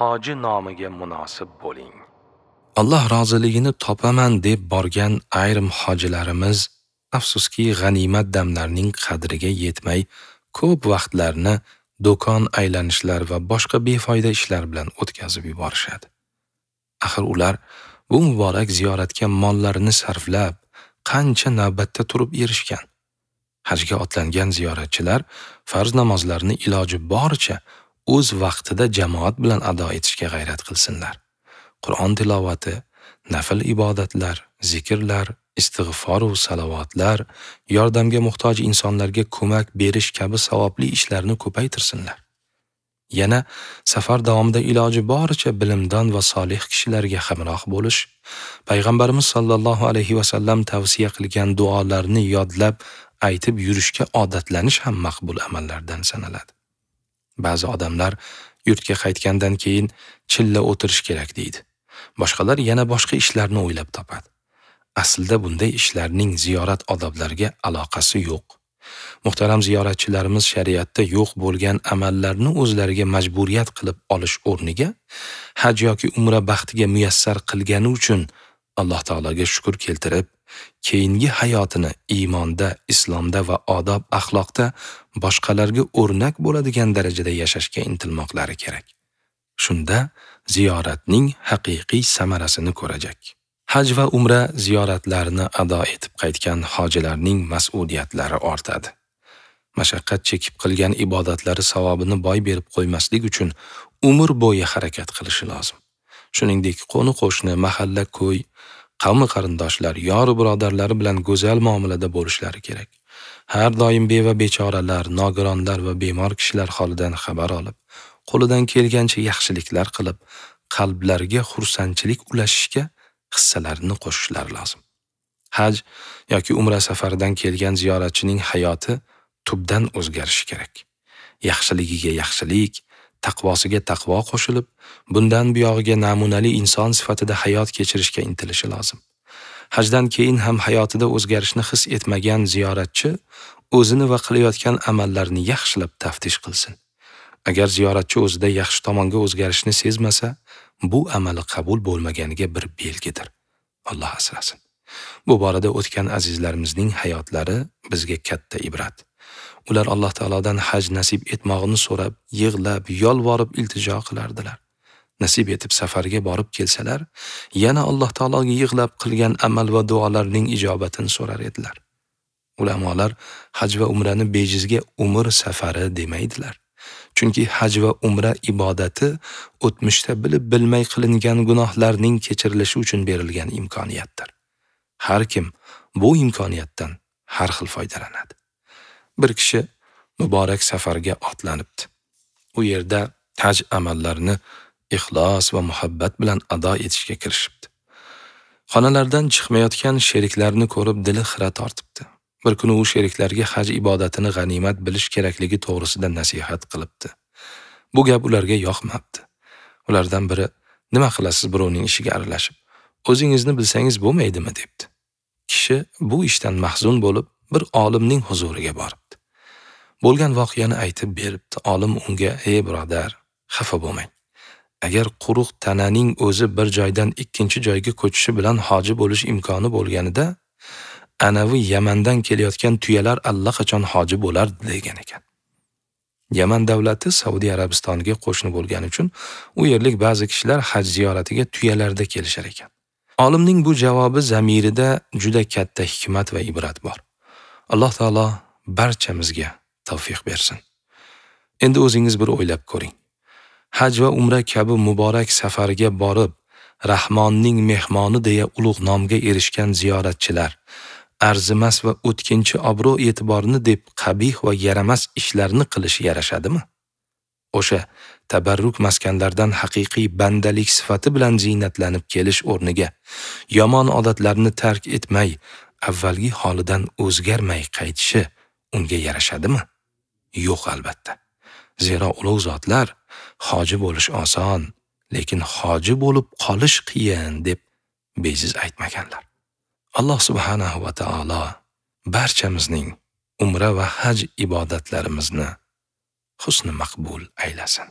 Hoji nomiga munosib bo'ling. Alloh roziligini topaman deb borgan ayrim hojilarimiz afsuski g'animat damlarning qadriga yetmay ko'p vaqtlarni do'kon aylanishlar va boshqa befoyda ishlar bilan o'tkazib yuborishadi. Axir ular bu muborak ziyoratga mollarini sarflab, qancha navbatda turib erishgan. Hajga otlangan ziyoratchilar farz namozlarini iloji boricha o'z vaqtida jamoat bilan ado etishga g'ayrat qilsinlar. Qur'on tilovati, nafl ibodatlar, zikrlar, istig'for va salovatlar, yordamga muhtoj insonlarga ko'mak berish kabi savobli ishlarni ko'paytirsinlar. Yana safar davomida iloji boricha bilimdon va solih kishilarga hamroh bo'lish, Payg'ambarimiz sallallohu alayhi va sallam tavsiya qilgan duolarni yodlab aytib yurishga odatlanish ham maqbul amallardan sanaladi. Ba'zi odamlar yurtga qaytgandan keyin chilla o'tirish kerak deydi. Boshqalar yana boshqa ishlarni o'ylab topadi. Aslida bunday ishlarning ziyorat odoblariga aloqasi yo'q. Muhtaram ziyoratchilarimiz shariatda yo'q bo'lgan amallarni o'zlariga majburiyat qilib olish o'rniga haj yoki umra baxtiga muyassar qilgani uchun Alloh taologa shukr keltirib, keyingi hayotini iymonda, islomda va odob axloqda boshqalarga o'rnak bo'ladigan darajada yashashga intilmoqlari kerak. Shunda ziyoratning haqiqiy samarasini ko'rajak. Haj va umra ziyoratlarini ado etib qaytgan hojilarning mas'uliyatlari ortadi. Mashaqqat chekib qilgan ibodatlari savobini boy berib qo'ymaslik uchun umr bo'yi harakat qilishi lozim. Shuningdek, qo'ni-qo'shni, mahalla, ko'y, qavmi qarindoshlar, yor birodarlari bilan go'zal muomalada bo'lishlari kerak. Har doim beva bechoralar, nogironlar va bemor kishilar holidan xabar olib, qo'lidan kelgancha yaxshiliklar qilib, qalblarga xursandchilik ulashishga hissalarini qo'shishlari lozim. Haj yoki umra safaridan kelgan ziyoratchining hayoti tubdan o'zgarishi kerak. Yaxshiligiga yaxshilik, taqvosiga taqvo qo'shilib, bundan buyog'iga namunali inson sifatida hayot kechirishga intilishi lozim. Hajdan keyin ham hayotida o'zgarishni his etmagan ziyoratchi o'zini va qilayotgan amallarini yaxshilab taftish qilsin. Agar ziyoratchi o'zida yaxshi tomonga o'zgarishni sezmasa, bu amali qabul bo'lmaganiga bir belgidir. Alloh asrasin. Bu borada o'tgan azizlarimizning hayotlari bizga katta ibrat. Ular Alloh taolodan haj nasib etmog'ini so'rab, yig'lab, yolvorib iltijo qilardilar. Nasib etib safarga borib kelsalar, yana Alloh taologa yig'lab qilgan amal va duolarning ijobatini so'rar edilar. Ulamolar haj va umrani bejizga umr safari demaydilar. Chunki haj va umra ibodati o'tmishda bilib bilmay qilingan gunohlarning kechirilishi uchun berilgan imkoniyatdir. Har kim bu imkoniyatdan har xil foydalanadi. Bir kishi muborak safarga otlanibdi. U yerda haj amallarini ixlos va muhabbat bilan ado etishga kirishibdi. Xonalardan chiqmayotgan sheriklarni ko'rib dili xira tortibdi. Bir kuni u sheriklarga haj ibodatini g'animat bilish kerakligi to'g'risida nasihat qilibdi. Bu gap ularga yoqmabdi. Ulardan biri, "Nima qilasiz birovning ishiga aralashib? O'zingizni bilsangiz bo'lmaydimi?" debdi. Kishi bu ishdan mahzun bo'lib, bir olimning huzuriga boribdi. Bo'lgan voqeani aytib beribdi. Olim unga, "Ey birodar, xafa bo'lmang. Agar quruq tananing o'zi bir joydan ikkinchi joyga ko'chishi bilan hoji bo'lish imkoni bo'lganida, anavi Yamandan kelayotgan tuyalar allaqachon hoji bo'lardi" degan ekan. Yaman davlati Saudiya Arabistoniga qo'shni bo'lgani uchun u yerlik ba'zi kishilar haj ziyoratiga tuyalarda kelishar ekan. Olimning bu javobi zamirida juda katta hikmat va ibrat bor. Alloh taolo barchamizga tavfiq bersin. Endi o'zingiz bir o'ylab ko'ring. Haj va umra kabi muborak safarga borib, Rahmonning mehmoni deya ulug' nomga erishgan ziyoratchilar arzimas va o'tkinchi obro' e'tiborni deb qabih va yaramas ishlarni qilishi yarashadimi? O'sha tabarruk maskanlardan haqiqiy bandalik sifati bilan ziynatlanib kelish o'rniga yomon odatlarni tark etmay, avvalgi holidan o'zgarmay qaytishi unga yarashadimi? Yo'q albatta. Zero ulug' zotlar hoji bo'lish oson, lekin hoji bo'lib qolish qiyin deb bejiz aytmaganlar. Alloh subhanahu va taolo barchamizning umra va haj ibodatlarimizni husni maqbul aylasin.